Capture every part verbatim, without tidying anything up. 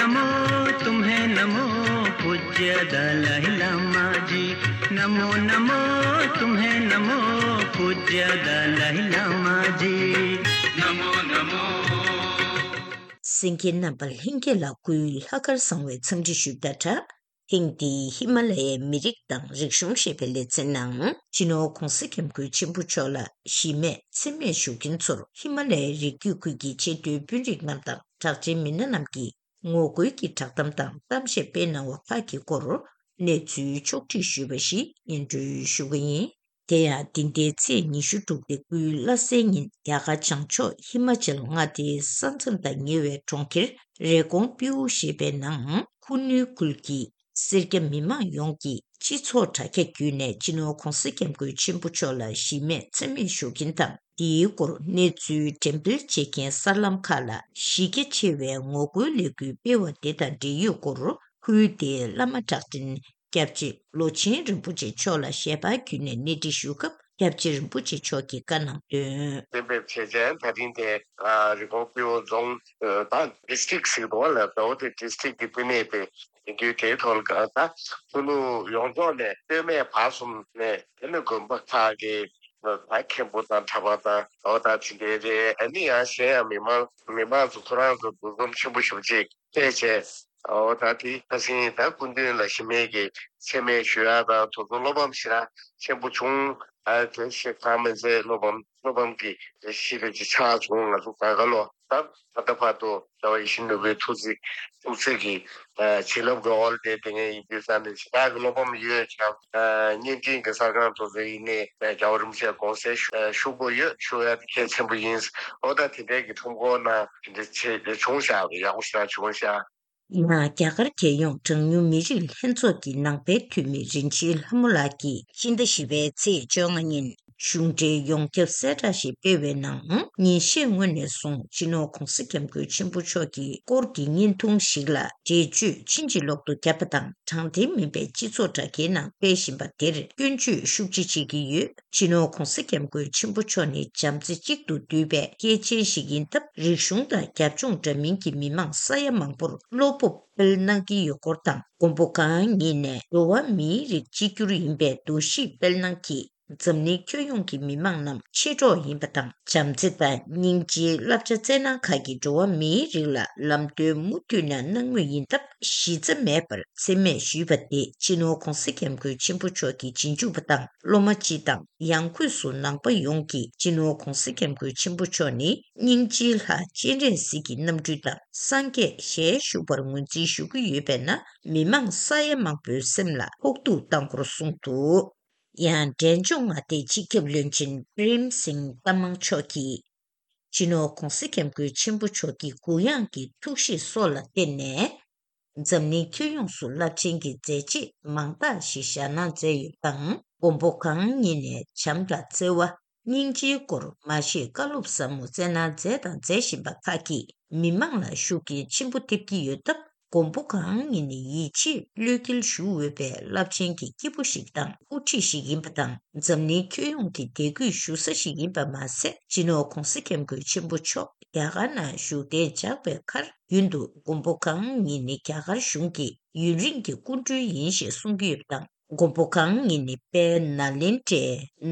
नमो तुम्हें नमो पूज्य दलाई लामा जी। नमो नमो तुम्हें नमो पूज्य दलाई लामा जी। नमो नमो। གསན་མཁན་རྣམ་པ་ལྷན་རྒྱས་ལ་སྐུའི་ལྷག་དཀར་བཟང་བའི་འཚམས་འདྲི་ཞུས་པ་དང་སྦྲགས། ཐེངས་འདིའི་ཧི་མ་ལ་ཡའི་མི་རིགས་དང་རིག་གཞུང་ཞེས་པའི་ལེ་ཚན་ནང་སྤྱི་ནོར་༧གོང་ས་༧སྐྱབས་མགོན་ཆེན་པོ་མཆོག་ལ་གཞི་མེད་མཚན་སྨད་ཞུ་མཁན་ཚོར་ཧི་མ་ལ་ཡའི་རི་རྒྱུད་ཁུལ་གྱི་ཆེས་མཐོའི་དཔོན་རིགས་རྣམས་དང་གྲགས་ཅན་མི་སྣ་རྣམས་ཀྱིས་ངོ་རྒོལ་གྱི་བསྒྲགས་གཏམ་དང་གཏམ་བཤད་སྤེལ་གནང་བ་ཁག་གི་སྐོར་གནས་ཚུལ་ཕྱོགས་བསྒྲིགས་ཞུས་པ་ཞིག་སྙན་སྒྲོན་ཞུ་གི་ཡིན། དེ་ཡང་འདི་ཟླའི་ཚེས་ཉི་ཤུ་དྲུག་སྟེ་སྐུའི་བླ་གཟའི་ཉིན་རྒྱ་གར་བྱང་ཕྱོགས་ཧི་མ་ཅལ་མངའ་སྡེའི་ས་མཚམས་དང་ཉེ་བའི་གྲོང་ཁྱེར་རེ་ཀོང་པིའུ་ཞེས་པའི་ནང་ཁུ་ནུའི་ཁུལ་གྱི་སེར་སྐྱ་མི་མང་ཡོངས་ཀྱིས་སྤྱི་ཚོགས་དྲ་རྒྱ་བརྒྱུད་ནས་སྤྱི་ནོར་༧གོང་ས་༧སྐྱབས་མགོན་ཆེན་པོ་མཆོག་ལ་གཞི་མེད་མཚན་སྨད་ཞུ་མཁན་དང་། འདིའི་སྐོར་གནས་ཚུལ་འགྲེམས་སྤེལ་བྱེད་མཁན་གསར་ལམ་ཁག་ལ་གཞི་རྒྱ་ཆེ་བའི་ངོ་རྒོལ་ལས་འགུལ་སྤེལ་བ་དེ་དང་འབྲེལ་ཡོད་སྐོར་ཁུལ་དེའི་བླ་མ་གྲགས་ཅན་སྐྱབས་རྗེ་ལོ་ཆེན་རིན་པོ་ཆེ་མཆོག་ལ་ཞལ་པར་བརྒྱུད་ནས་གནས་འདྲི་ཞུ་སྐབས་སྐྱབས་རྗེ་རིན་པོ་ཆེ་མཆོག་གིས་བཀའ་གནང་དོན། གཏན་འབེབས་བྱས་རྗེས་ད་རིང་དེ་རི་ཀོང་པིའུ་རྫོང་དང་ཌི་སི་ཊིག་ཟེར་འདུག་བ་ལ། ཟླ་བོ་དེ་ཌི་སི་ཊིག་གི་བསྟི་གནས་དེ་ཡིན་དུས་དེའི་ཐོག་ལ་ད་ཁུ་ནུ་ཡོངས་རྫོགས་ནས་སྟོད་སྨད་བར་གསུམ་ནས་དེ་ནས་དགོན་པ་ཁག་གི་ད་མཁན་པོ་དང་གྲྭ་པ་དང་ད་བ་ད་དེ་འདྲའི་རེད། ཨ་ནི་ཡང་གཞན་ཡང་མི་མང་མི་མང་ཚོ་ཁོ་རང་ཚོ་འདུ་འཛོམས་ཆེན་པོ་ཞེ་པོ་ཅིག་བྱས་བྱས། ཨོ་ད་དེ་ཁ་སང་ད་སྐུ་མདུན་ལ་གཞི་མེད་ཀྱི་མཚན་སྨད་ཞུ་ཡག་དང་དེ་ཚོ་བློ་ཕམ་ཞེ་དྲག་ཆེན་པོ་བྱུང་། ཨ་དེ་ཞེ་དྲག་མི་མཛད། བློ་ཕམ་བློ་ཕམ་གྱི་གཞི་རེ་ཅིག་ཆགས་བྱུང་། ང་ཚོ་ག་ག་ལོ་ད་ད་ལྟ་བར་དུ་རྒྱལ་བ་ཡིད་བཞིན་ནོར་བུའི་ཐུགས་རྗེ་ཐུགས་རྗེ་གི་བྱིན་རླབས་ཀྱི་འོག་ལ་བསྡད་བསྡད་མཁན་ཡིན་དུས་ཙང་ནས་ཞེ་དྲག་གི་བློ་ཕམ་ཡོད་ཀྱང་། བརྙན་འཕྲིན་གྱི་གསར་ཁང་དེ་ཚོ་ཡིན་ནའི་རྒྱལ་བ་རིན་པོ་ཆེ་དགོངས་སེལ་ཞུ་ཞུ་དགོས་ཡོད། ཞུ་ཡ་དེ་གལ་ཆེན་པོ་ཡིན། ཨོ་ད་དེ་འདྲའི་གི་ཁྲོམ་སྐོར་ནང་དེ་འདྲ་བྱས་བྱུང་ཤག་ཡག་པོ་ཞེ་དྲག་བྱུང་ཤག་ཡང་རྒྱ་གར་རྒྱལ་ཡོངས་གྲངས་ཉུང་མི་རིགས་ལྷན་ཚོགས་ཀྱི་ནང་པའི་འཐུས་མི་རིན་ཆེན་ལྷ་མོ་ལགས་ཀྱིས་ཕྱི་ཟླ་བཞི་པའི་ཚེས་བཅོ་ལྔ་ཉིན་གཞུང་འབྲེལ་ཡོངས་ཁྱབ་གསལ་བསྒྲགས་ཤིག་སྤེལ་བའི་ནང་། ཉིན་ཤས་སྔོན་ནས་བཟུང་སྤྱི་ནོར་༧གོང་ས་༧སྐྱབས་མགོན་ཆེན་པོ་མཆོག་གི་སྐོར་གྱི་བརྙན་ཐུང་ཞིག་ལ་འགྲེལ་བརྗོད་ཕྱིན་ཅི་ལོག་ཏུ་བརྒྱབ་པ་དང་། དྲང་བདེན་མིན་པའི་སྤྱི་ཚོགས་དྲ་རྒྱའི་ནང་སྤེལ་བཞིན་པ་དེར་སྐྱོན་བརྗོད་ཤུགས་ཆེ་བྱེད་ཀྱི་ཡོད། སྤྱི་ནོར་༧གོང་ས་༧སྐྱབས་མགོན་ཆེན་པོ་མཆོག་ནི་བྱམས་བརྩེ་གཅིག་ཏུ་འདུས་པའི་སྐྱེས་ཆེན་ཞིག་ཡིན་སྟབས། རིག་གཞུང་དང་རྒྱབ་ལྗོངས་འདྲ་མིན་གྱི་མི་མང་ས་ཡ་མང་པོར་བློ་སྤོབས་སྤེལ་གནང་གི་ཡོད་སྐོར་དང་། མགོན་པོ་གང་ཉིད་ནས་འགྲོ་བ་མིའི་རིགས་གཅིག་གྱུར་ཡིན་པའི་འདུ་ཤེས་སྤེལ་གནང་གིས། འཛམ་གླིང་ཁྱོན་ཡོངས་ཀྱི་མི་མང་རྣམས་མཆེད་གྲོགས་ཡིན་པ་དང་། བྱམས་བརྩེ་དང་སྙིང་རྗེའི་བསླབ་བྱ་སྩལ་གནང་ཁག་གིས་འགྲོ་བ་མིའི་རིགས་ལ་ལམ་སྟོན་མུ་མཐུད་ནས་གནང་མུས་ཡིན་སྟབས། གཞི་རྩ་མེད་པར་མཚན་སྨད་ཞུས་པ་དེ་སྤྱི་ནོར་༧གོང་ས་༧སྐྱབས་མགོན་ཆེན་པོ་མཆོག་གི་རྗེས་འཇུག་པ་དང་སློབ་མ་སྤྱི་དང་། ཡང་སྒོས་སུ་ནང་པ་ཡོངས་ཀྱིས་སྤྱི་ནོར་༧གོང་ས་༧སྐྱབས་མགོན་ཆེན་པོ་མཆོག་ནི་སྙིང་རྗེའི་ལྷ་སྤྱན་རས་གཟིགས་ཀྱི་རྣམ་སྤྲུལ་དང་། སངས་རྒྱས་ཞལ་བཞུགས་པར་ངོས་འཛིན་ཞུ་གི་ཡོད་པས་ན། མི་མང་ས་ཡ་མང་པོའི་སེམས་ལ་ཕོག་ཐུག་བཏང་སྐོར་གསུངས་འདུག་ཡང་འབྲས་ལྗོངས་མངའ་སྡེའི་སྤྱི་ཁྱབ་བློན་ཆེན་པྲེམ་སིང་ཏ་མང་མཆོག་གིས། སྤྱི་ནོར་༧གོང་ས་༧སྐྱབས་མགོན་ཆེན་པོ་མཆོག་གི་གུ་ཡངས་ཀྱི་ཐུགས་བཞེད་སོགས་ལ་བརྟེན་ནས། འཛམ་གླིང་ཁྱོན་ཡོངས་སུ་རླབས་ཆེན་གྱི་མཛད་རྗེས་མང་དག་ཞིག་བཞག་གནང་མཛད་ཡོད་པ་དང་། མགོན་པོ་གང་ཉིད་ནས་བྱམས་དང་བརྩེ་བ། སྙིང་རྗེའི་སྐོར་མ་ཤེས་བཀའ་སློབ་ཟབ་མོ་སྩལ་གནང་མཛད་དང་མཛད་བཞིན་པ་ཁག་གིས་མི་མང་ལ་ཤུགས་རྐྱེན་ཆེན་པོ་ཐེབས་ཀྱི་ཡོད་སྟབས། མགོན་པོ་གང་ཉིད་ནི་ཡིད་ཆེས་བློས་འགེལ་ཞུ་འོས་པའི་རླབས་ཆེན་གྱི་སྐྱེས་བུ་ཞིག་དང་དབུ་ཁྲིད་ཞིག་ཡིན་པ་དང་། འཛམ་གླིང་ཁྱོན་ཡོངས་ཀྱི་དད་གུས་ཞུ་ས་ཞིག་ཡིན་པ་མ་ཟད། སྤྱི་ནོར་༧གོང་ས་༧སྐྱབས་མགོན་ཆེན་པོ་མཆོག་རྒྱ་གར་ནང་བཞུགས་གདན་འཇགས་པའི་ཁར། རྒྱུན་དུ་མགོན་པོ་གང་ཉིད་ནི་རྒྱ་གར་གཞུང་གི་ཡུན་རིང་གི་སྐུ་མགྲོན་ཡིན་ཞེས་གསུང་གི་ཡོད་པ་དང་། མགོན་པོ་གང་ཉིད་ནི་དཔལ་ནཱ་ལེནྡྲའི་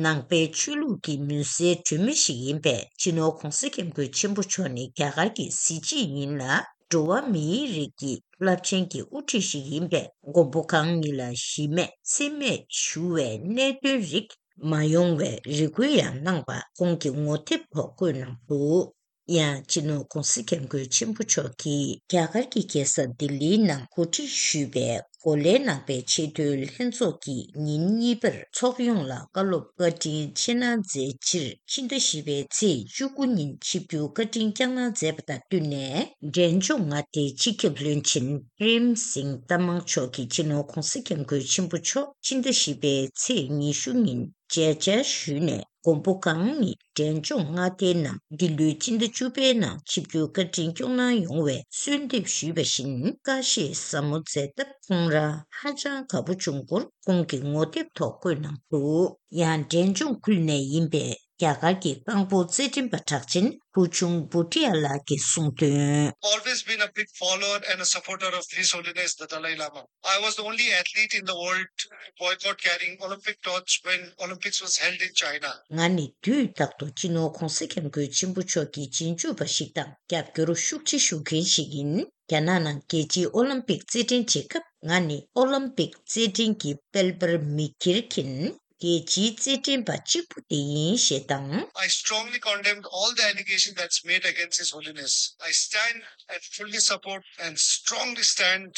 ནང་པའི་ཆོས་ལུགས་ཀྱི་མུན་སེལ་སྒྲོན་མེ་ཞིག་ཡིན་པས། སྤྱི་ནོར་༧གོང་ས་༧སྐྱབས་མགོན་ཆེན་པོ་མཆོག་ནི་རྒྱ་གར་གྱི་གཟི་བརྗིད་ཡིན་ལ། འགྲོ་བ་མིའི་རིགས་ཀྱི་རླབས་ཆེན་གྱི་དབུ་ཁྲིད་ཞིག་ཡིན་པས། མགོན་པོ་གང་ཉིད་ལ་གཞི་མེད་མཚན་སྨད་ཞུ་བའི་གནད་དོན་རིགས་མ་ཡོང་བའི་རེ་སྐུལ་ཡང་གནང་བ་ཁོང་གིས་ངོ་དེབ་ཐོག་བཀོད་གནང་འདུག་ཡང་སྤྱི་ནོར་༧གོང་ས་༧སྐྱབས་མགོན་ཆེན་པོ་མཆོག་གིས་རྒྱ་གར་གྱི་རྒྱལ་ས་ལྡི་ལིའི་ནང་གོ་སྒྲིག་ཞུས་པའི་གོ་ལའི་ནང་པའི་ཆེས་མཐོའི་ལྷན་ཚོགས་ཀྱི་ཉིན་གཉིས་པར་ཚོགས་ཡོངས་ལ་བཀའ་སློབ་བཀའ་དྲིན་ཆེ་གནང་མཛད་ཕྱིར། ཕྱི་ཟླ་བཞི་པའི་ཚེས་བཅུ་དགུ་ཉིན་ཆིབས་བསྒྱུར་བཀའ་དྲིན་བསྐྱངས་གནང་མཛད་པ་དང་བསྟུན་ནས། འབྲས་ལྗོངས་མངའ་སྡེའི་སྤྱི་ཁྱབ་བློན་ཆེན་པྲེམ་སིང་ཏ་མང་མཆོག་གིས་སྤྱི་ནོར་༧གོང་ས་༧སྐྱབས་མགོན་ཆེན་པོ་མཆོག་ཕྱི་ཟླ་བཞི་པའི་ཚེས་ཉི་ཤུ་ཉིན་མཇལ་བཅར་ཞུས་ནས། མགོན་པོ་གང་ཉིད་འབྲས་ལྗོངས་མངའ་སྡེའི་ནང་འདི་ལོའི་སྤྱི་ཟླ་བཅུ་པའི་ནང་ཆིབས་བསྒྱུར་བཀའ་དྲིན་སྐྱོང་གནང་ཡོང་བའི་གསོལ་འདེབས་ཞུས་པ་བཞིན། བཀྲ་ཤིས་ཟབ་མོ་མཛད་སྟབས་ཁོང་རང་ཧ་ཅང་དགའ་པོ་བྱུང་སྐོར་ཁོང་གིས་ངོ་དེབ་ཐོག་བཀོད་གནང་འདུག་ཡང་འབྲས་ལྗོངས་ཁུལ་ནས་ཡིན་པའི་ རྒྱ་གར་གྱི་རྐང་སྤོལ་རྩེད་འགྲན་པ་གྲགས་ཅན་བུ་ཆུང་བྷུ་ཏི་ཡ་ལགས་ཀྱིས་གསུངས་དོན། Always been a big follower and a supporter of His Holiness the Dalai Lama. I was the only athlete in the world to boycott carrying Olympic torch when Olympics was held in China. ང་ནི་དུས་རྟག་ཏུ་སྤྱི་ནོར་༧གོང་ས་༧སྐྱབས་མགོན་ཆེན་པོ་མཆོག་གི་རྗེས་འཇུག་པ་ཞིག་དང་རྒྱབ་སྐྱོར་ཤུགས་ཆེ་ཞུ་མཁན་ཞིག་ཡིན། རྒྱ་ནག་ནང་རྒྱལ་སྤྱིའི་ཨོ་ལིམ་པིག་རྩེད་འགྲན་བྱེད་སྐབས་ང་ནི་ཨོ་ལིམ་པིག་རྩེད་འགྲན་གྱི་དཔལ་འབར་མི་ཁྱེར་མཁན་རྒྱལ་སྤྱིའི་རྩེད་འགྲན་པ་གཅིག་པུ་དེ་ཡིན་ཞེས་དང་། I strongly condemned all the allegations that's made against His Holiness. I stand and fully support and strongly stand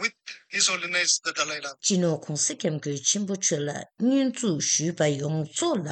with His Holiness the Dalai Lama. སྤྱི་ནོར་༧གོང་ས་༧སྐྱབས་མགོན་ཆེན་པོ་མཆོག་ལ་བསྙོན་འཛུགས་ཞུས་པ་ཡོངས་རྫོགས་ལ་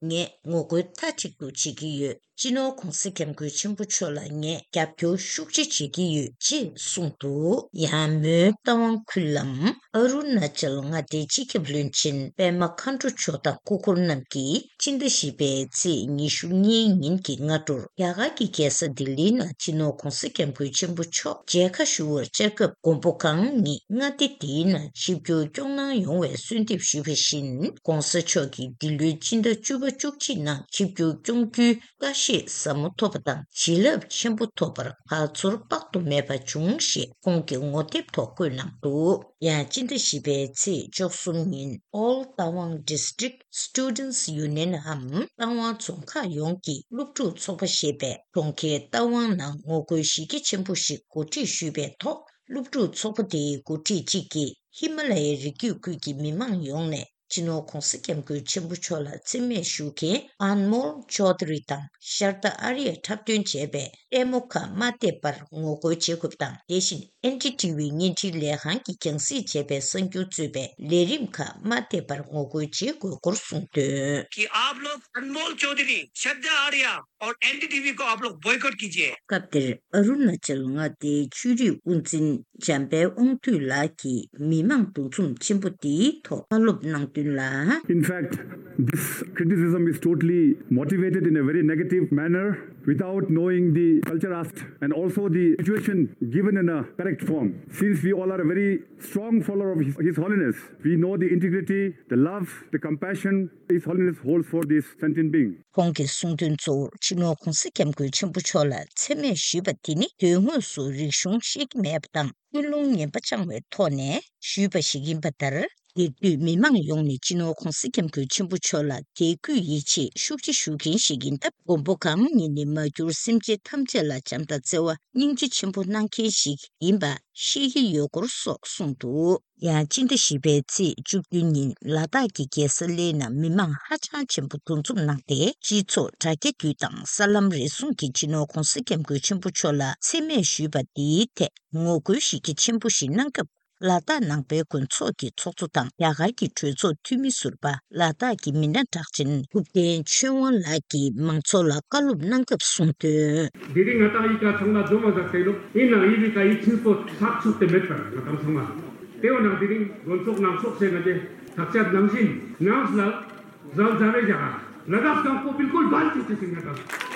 ངས་ངོ་རྒོལ་མཐའ་གཅིག་ཏུ་བྱེད་ཀྱི་ཡོད། སྤྱི་ནོར་༧གོང་ས་༧སྐྱབས་མགོན་ཆེན་པོ་མཆོག་ལ་ངས་རྒྱབ་སྐྱོར་ཤུགས་ཆེ་བྱེད་ཀྱི་ཡོད་ཅེས་གསུངས་འདུག་ཡང་མོན་རྟ་དབང་ཁུལ་ལམ་ཨ་རུ་ན་ཅལ་མངའ་སྡེའི་སྤྱི་ཁྱབ་བློན་ཆེན་པད་མ་མཁའ་འགྲོ་མཆོག་དང་སྐུ་འཁོར་རྣམས་ཀྱིས་སྤྱི་ཟླ་བཞི་པའི་ཚེས་ཉི་ཤུ་གཉིས་ཉིན་གྱི་སྔ་དྲོར་རྒྱ་གར་གྱི་རྒྱལ་ས་ལྡི་ལིའི་ནང་སྤྱི་ནོར་༧གོང་ས་༧སྐྱབས་མགོན་ཆེན་པོ་མཆོག་མཇལ་ཁ་ཞུ་བར་བཅར་སྐབས་མགོན་པོ་གང་ཉིད་མངའ་སྡེ་དེའི་ནང་ཆིབས་བསྒྱུར་སྐྱོང་གནང་ཡོང་བའི་གསོལ་འདེབས་ཞུས་པ་བཞིན་༧གོང་ས་མཆོག་གིས་འདི་ལོའི་སྤྱི་ཟླ་བཅུ་པ་བཅུ་གཅིག་ནང་ཆིབས་བསྒྱུར་སྐྱོང་རྒྱུའི་བཀྲ་ཤིས་ཟབ་མོ་ཐོབ་པ་དང་བྱིན་རླབས་ཆེན་པོ་ཐོབ་པར་དགའ་ཚོར་དཔག་ཏུ་མེད་པ་བྱུང་ཞེས་ཁོང་གིས་ངོ་དེབ་ཐོག་བཀོད་གནང་འདུག་ཡང་སྤྱི་ཟླ་བཞི་པའི་ཚེས་བཅུ་གསུམ་ཉིན་All Tawang District Students Union་འམ་རྟ་དབང་རྫོང་ཁག་ཡོངས་ཀྱི་སློབ་ཕྲུག་ཚོགས་པ་ཞེས་པས་གྲོང་ཁྱེར་རྟ་དབང་ནང་ངོ་རྒོལ་གཞི་རྒྱ་ཆེན་པོ་ཞིག་གོ་སྒྲིག་ཞུས་པའི་ཐོག་སློབ་ཕྲུག་ཚོགས་པ་དེའི་འགོ་ཁྲིད་གཅིག་གིས་ཧི་མ་ལ་ཡའི་རི་རྒྱུད་ཁུལ་གྱི་མི་མང་ཡོངས་ནས་སྤྱི་ནོར་༧གོང་ས་༧སྐྱབས་མགོན་ཆེན་པོ་མཆོག་ལ་མཚན་སྨད་ཞུ་མཁན་ཨན་མོལ་ཅོ་དྷ་རི་དང་ཤར་ཏ་ཨ་རི་ཡ་འཁྲབ་སྟོན་བྱས་པའི་ལྟད་མོ་ཁག་མ་བལྟས་པར་ངོ་རྒོལ་བྱེད་དགོས་པ་དང་། དེ་བཞིན་ཨེན་ཌི་ཊི་ཝི་བརྙན་འཕྲིན་ལས་ཁང་གིས་རྒྱང་སྲིང་བྱས་པའི་གསར་འགྱུར་གཙོས་པའི་ལས་རིམ་ཁག་མ་བལྟས་པར་ངོ་རྒོལ་བྱེད་དགོས་སྐོར་གསུངས་དོན། कि आप लोग अनमोल चौधरी, श्रद्धा आर्या और एनडीटीवी को आप लोग बॉयकॉट कीजिए। སྐབས་དེར་ཨ་རུ་ན་ཅལ་མངའ་སྡེའི་ཆོས་རིག་དབུ་འཛིན་འཇམ་དཔལ་དབང་འདུས་ལགས་ཀྱིས་མི་མང་འདུ་འཛོམས་ཆེན་པོ་འདིའི་ཐོག་བཀའ་སློབ་གནང་དོན་ལ། In fact, this criticism is totally motivated in a very negative manner without knowing the culture aspect and also the situation given in a correct form. Since we all are a very strong follower of His, His Holiness, we know the integrity, the love, the compassion His Holiness holds for this sentient being. ཁོང་གིས་གསུངས་དོན་གཙོ་བོར་སྤྱི་ནོར་༧གོང་ས་༧སྐྱབས་མགོན་ཆེན་པོ་མཆོག་ལ་མཚན་སྨད་ཞུས་པ་དེ་ནི་དོན་དངོས་སུ་རིག་གཞུང་ཤེས་ཀྱི་མེད་པ་དང་ཀུན་སློང་ངན་པ་བཅངས་པའི་ཐོག་ནས་ཞུས་པ་ཞིག་ཡིན་པ་ལྟར། དེར་འདུས་མི་མང་ཡོངས་ནས་སྤྱི་ནོར་༧གོང་ས་༧སྐྱབས་མགོན་ཆེན་པོ་མཆོག་ལ་དད་གུས་ཡིད་ཆེས་ཤུགས་ཆེ་ཞུ་མཁན་ཞིག་ཡིན་སྟབས། མགོན་པོ་གང་ཉིད་ནི་མ་གྱུར་སེམས་ཅན་ཐམས་ཅད་ལ་བྱམས་དང་བརྩེ་བ་སྙིང་རྗེ་ཆེན་པོ་གནང་མཁན་ཞིག་ཡིན་པ་ཤེས་ཀྱི་ཡོད་སྐོར་སོགས་གསུངས་འདུག་ཡང་སྤྱི་ཟླ་བཞི་པའི་ཚེས་བཅུ་བདུན་ཉིན་ལ་དྭགས་ཀྱི་རྒྱལ་ས་གླེ་ནང་མི་མང་ཧ་ཅང་ཆེན་པོ་འདུ་འཛོམས་གནང་སྟེ། སྤྱི་ཚོགས་དྲ་རྒྱ་བརྒྱུད་དང་གསར་ལམ་རེ་ཟུང་གིས་སྤྱི་ནོར་༧གོང་ས་༧སྐྱབས་མགོན་ཆེན་པོ་མཆོག་ལ་མཚན་སྨད་ཞུས་པ་འདིའི་ཐད་ངོ་རྒོལ་གཞི་རྒྱ་ཆེན་པོ་ཞིག་གནང་སྐབས། ལ་དྭགས་ནང་པའི་དགོན་ཚོགས་ཀྱི་ཚོགས་གཙོ་དང་རྒྱ་གར་གྱི་གྲོས་ཚོགས་འཐུས་མི་ཟུར་པ་ལ་དྭགས་ཀྱི་མི་སྣ་གྲགས་ཅན་ཐུབ་བསྟན་ཆོས་དབང་ལགས་ཀྱིས་མང་ཚོགས་ལ་བཀའ་སློབ་གནང་སྐབས་གསུངས་དོན། དེ་རིང་ང་ཏང་ཡི་ག་ཚང་མ་འཛོམས་མ་ཟག་ཟེར་ལོ། ཡིན་ནའང་ཡིན་པའི་ཀ་ཡིད་ཆེན་པོ་ཐག་ཆོད་དེ་མེད་པར་ང་ཏང་ཚང་མ། དེ་འོ་ནང་དེ་རིང་དགོན་ཚོགས་ནང་ཚོགས་བྱས་ང་ཏེ་ཐག་བཅད་ནང་བཞིན་ནང་ལ་རང་ཛ་རེ་རྒྱ་གར་ལ་དྭགས་སྐམ་པོ་བིལ་ཀུལ་བན་ཅི་ཅི་ཟིན་ང་ཏང་།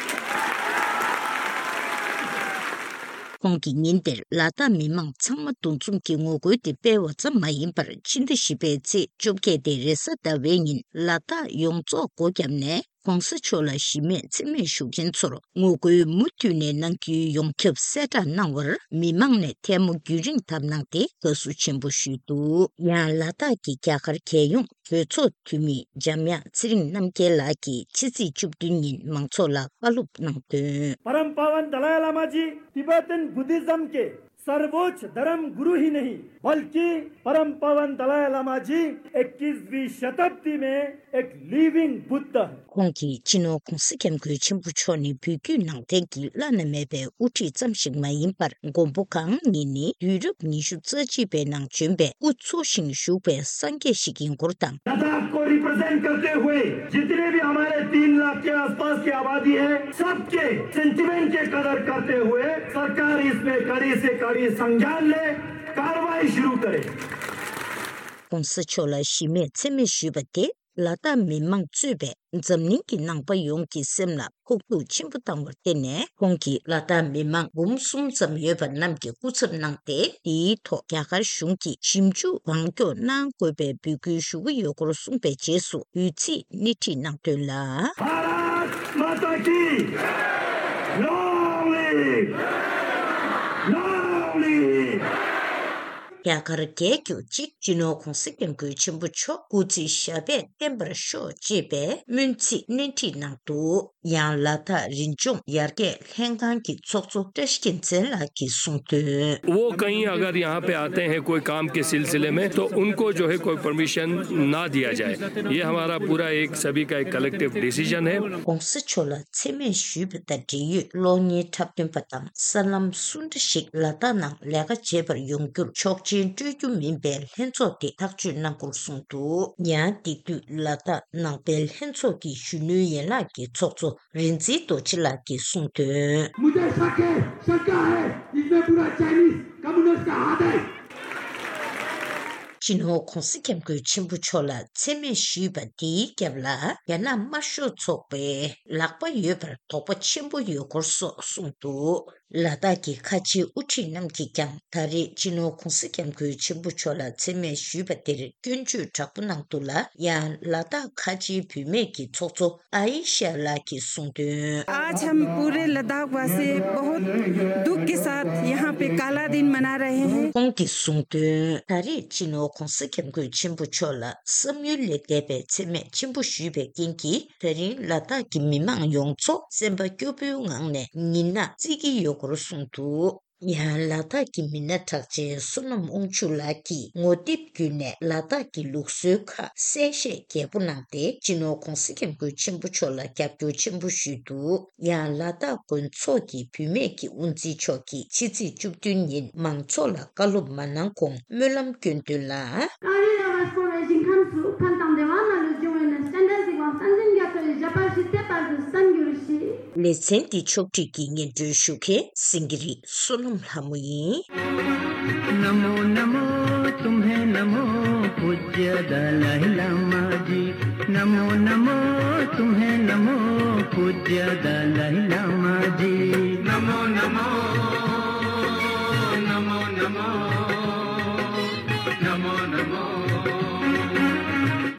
ཁོང་གིས་ཉིན་དེར་ལ་དྭགས་མི་མང་ཚང་མ་འདུ་འཛོམས་ཀྱི་ངོ་རྒོལ་དེ་སྤེལ་བ་ཙམ་མ་ཡིན་པར། ཕྱི་ཟླ་བཞི་པའི་ཚེས་བཅོ་བརྒྱད་དེ་རེས་གཟའ་ཟླ་བའི་ཉིན་ལ་དྭགས་ཡོངས་རྫོགས་སྒོ་བརྒྱབ་ནས་༧གོང་ས་མཆོག་ལ་གཞི་མེད་མཚན་སྨད་ཞུ་མཁན་ཚོར་ངོ་རྒོལ་མུ་མཐུད་ནས་གནང་རྒྱུའི་ཡོངས་ཁྱབ་གསལ་བསྒྲགས་གནང་བར་མི་མང་ནས་ཐལ་མོ་རྒྱུན་རིང་བརྡབས་གནང་སྟེ་དགའ་བསུ་ཆེན་པོ་ཞུས་འདུག་ཡང་ལ་དྭགས་ཀྱི་རྒྱ་གར་རྒྱལ་ཡོངས་གྲོས་ཚོགས་འཐུས་མི་འཇམ་དབྱངས་ཚེ་རིང་རྣམ་རྒྱལ་ལགས་ཀྱིས་ཕྱི་ཚེས་བཅུ་བདུན་ཉིན་མང་ཚོགས་ལ་བཀའ་སློབ་གནང་དོན། परम पावन दलाई लामा जी Tibetan Buddhism के सर्वोच्च धर्म गुरु ही नहीं, बल्कि परम पावन दलाई लामा जी इक्कीसवीं शताब्दी में एक लिविंग बुद्ध है। ཁོང་གིས་སྤྱི་ནོར་༧གོང་ས་༧སྐྱབས་མགོན་ཆེན་པོ་མཆོག་ནི་བོད་བརྒྱུད་ནང་བསྟན་གྱི་བླ་ན་མེད་པའི་དབུ་ཁྲིད་ཙམ་ཞིག་མ་ཡིན་པར། མགོན་པོ་གང་ཉིད་ནི་དུས་རབས་ཉི་ཤུ་རྩ་གཅིག་པའི་ནང་བྱོན་པའི་སྐུ་འཚོ་ཞིང་བཞུགས་པའི་སངས་རྒྱས་ཤིག་ཡིན་སྐོར་དང་། लद्दाख को रिप्रेजेंट करते हुए जितने भी हमारे तीन लाख के आसपास की आबादी है, सबके सेंटिमेंट के कदर करते हुए सरकार इसमें कड़ी से कड़ी संज्ञान ले, कार्रवाई शुरू करे। ༸གོང་ས་མཆོག་ལ་གཞི་མེད་མཚན་སྨད་ཞུས་པ་དེ་ལ་དྭགས་མི་མང་གཙོས་པའི་འཛམ་གླིང་གི་ནང་པ་ཡོངས་ཀྱི་སེམས་ལ་ཕོག་ཐུག་ཆེན་པོ་བཏང་བར་བརྟེན་ནས། ཁོང་གིས་ལ་དྭགས་མི་མང་འབུམ་གསུམ་ཙམ་ཡོད་པ་རྣམས་ཀྱི་སྐུ་ཚབ་གནང་སྟེ། དེའི་ཐོག་རྒྱ་གར་གཞུང་གིས་ཞིབ་འཇུག་གང་མགྱོགས་གནང་དགོས་པའི་འབོད་སྐུལ་ཞུ་གི་ཡོད་སྐོར་གསུངས་པའི་རྗེས་སུ་འབོད་ཚིག་སྣེ་ཁྲིད་གནང་དོན་ལ། Long live! Long live! རྒྱ་གར་རྒྱལ་གྱུར་ཅིག་སྤྱི་ནོར་༧གོང་ས་༧སྐྱབས་མགོན་ཆེན་པོ་མཆོག་སྐུ་ཚེ་ཞབས་པད་བརྟན་པར་ཤོག་ཅེས་པའི་སྨོན་ཚིག་སྣེ་ཁྲིད་གནང་འདུག་ཡང་ལ་དྭགས་རི་ལྗོངས་ཡར་རྒྱས་ལྷན་ཁང་གི་ཚོགས་གཙོ་བཀྲ་ཤིས་རྒྱལ་མཚན་ལགས་ཀྱིས་གསུངས་དོན། वो कहीं अगर यहाँ पे आते हैं कोई काम के सिलसिले में, तो उनको जो है कोई परमिशन ना दिया जाए। ये हमारा पूरा एक सभी का एक कलेक्टिव डिसीजन है।༧གོང་ས་མཆོག་ལ་མཚན་སྨད་ཞུས་པ་དང་འབྲེལ་ཡོད་གློག་བརྙན་འཁྲབ་སྟོན་པ་དང་། གསར་ལམ་སུ་འདྲ་ཞིག་ལ་དྭགས་ནང་ལས་ཀ་བྱེད་པར་ཡོང་རྒྱུར་ཆོག་མཆན་སྤྲོད་རྒྱུ་མིན་པའི་ལྷན་ཚོགས་དེ་ཐག་གཅོད་གནང་སྐོར་གསུངས་འདུག་ཡང་དེ་དུས་ལ་དྭགས་ནང་པའི་ལྷན་ཚོགས་ཀྱི་གཞོན་ནུའི་ཡན་ལག་གི་ཚོགས་གཙོ་རིག་འཛིན་རྡོ་རྗེ་ལགས་ཀྱིས་གསུངས་དོན། मुझे शक है, शंका है, इसमें पूरा चाइनीज कम्युनिस्ट का हाथ है। སྤྱི་ནོར་༧གོང་ས་༧སྐྱབས་མགོན་ཆེན་པོ་མཆོག་ལ་མཚན་སྨད་ཞུས་པ་དེའི་རྒྱབ་ལ་རྒྱ་ནག་དམར་ཤོག་ཚོགས་པའི་ལག་པ་ཡོད་པར་དོགས་པ་ཆེན་པོ་ཡོད་སྐོར་སོགས་གསུངས་འདུག་ལ་དྭགས་ཀྱི་ཁ་ཆེའི་དབུ་ཁྲིད་རྣམས་ཀྱིས་ཀྱང་ད་རེས་སྤྱི་ནོར་༧གོང་ས་༧སྐྱབས་མགོན་ཆེན་པོ་མཆོག་ལ་མཚན་སྨད་ཞུས་པ་དེར་སྐྱོན་བརྗོད་དྲག་པོ་གནང་འདུག་ལ། ཡང་ལ་དྭགས་ཁ་ཆེའི་བུད་མེད་ཀྱི་ཚོགས་གཙོ་ཨ་ཡི་ཤ་ལགས་ཀྱིས་གསུངས་དོན། आज हम पूरे लद्दाख वासी बहुत दुख के साथ यहाँ पे काला दिन मना रहे हैं। ཁོང་གིས་གསུངས་དོན། ད་རེས་སྤྱི་ནོར་༧གོང་ས་༧སྐྱབས་མགོན་ཆེན་པོ་མཆོག་ལ་བསམ་ཡུལ་ལས་འདས་པའི་མཚན་སྨད་ཆེན་པོ་ཞུས་པའི་རྐྱེན་གྱིས། ད་རིང་ལ་དྭགས་ཀྱི་མི་མང་ཡོངས་རྫོགས་སེམས་པ་སྐྱོ་པོའི་ངང་ནས་ཉིན་ནག་བརྩི་གི་ཡོད་སྐོར་གསུངས་འདུག་ཡང་ལ་དྭགས་ཀྱི་མི་སྣ་གྲགས་ཅན་བསོད་ནམས་དབང་ཕྱུག་ལགས་ཀྱིས་ངོ་དེབ་བརྒྱུད་ནས་ལ་དྭགས་ཀྱི་ལུགས་སྲོལ་ཁག་གསལ་བཤད་རྒྱས་པོ་གནང་སྟེ། སྤྱི་ནོར་༧གོང་ས་༧སྐྱབས་མགོན་ཆེན་པོ་མཆོག་ལ་རྒྱབ་སྐྱོར་ཆེན་པོ་ཞུས་འདུག་ཡང་ལ་དྭགས་དགོན་ཚོགས་ཀྱི་བུད་མེད་ཀྱི་དབུ་འཛིན་མཆོག་གིས་ཕྱི་ཚེས་བཅུ་བདུན་ཉིན་མང་ཚོགས་ལ་བཀའ་སློབ་མ་གནང་གོང་སྨོན་ལམ་སྐྱོན་དོན་ལ། ཀ་རི་ཡ་བ་སྐོར་བའི་ཞིང་ཁམས་སུ་ཕན་དང་བདེ་བ་མ་ལུས་འབྱུང་བའི་གནས། སྤྱན་རས་གཟིགས་དབང་བསྟན་འཛིན་རྒྱ་མཚོ་ཡི་ཞབས་པད་སྲིད་མཐའི་བར་དུ་བརྟན་གྱུར་ཅིག་ལེ་ཚན་འདི་ཕྱོགས་སྒྲིག་གིས་སྙན་སྒྲོན་ཞུ་མཁན་སེང་གེ་རི་བསོད་ནམས་ལྷ་མོ་ཡིན། नमो नमो तुम्हें नमो पूज्य दलाई लामा जी। नमो नमो तुम्हें नमो पूज्य दलाई लामा जी। नमो नमो नमो नमो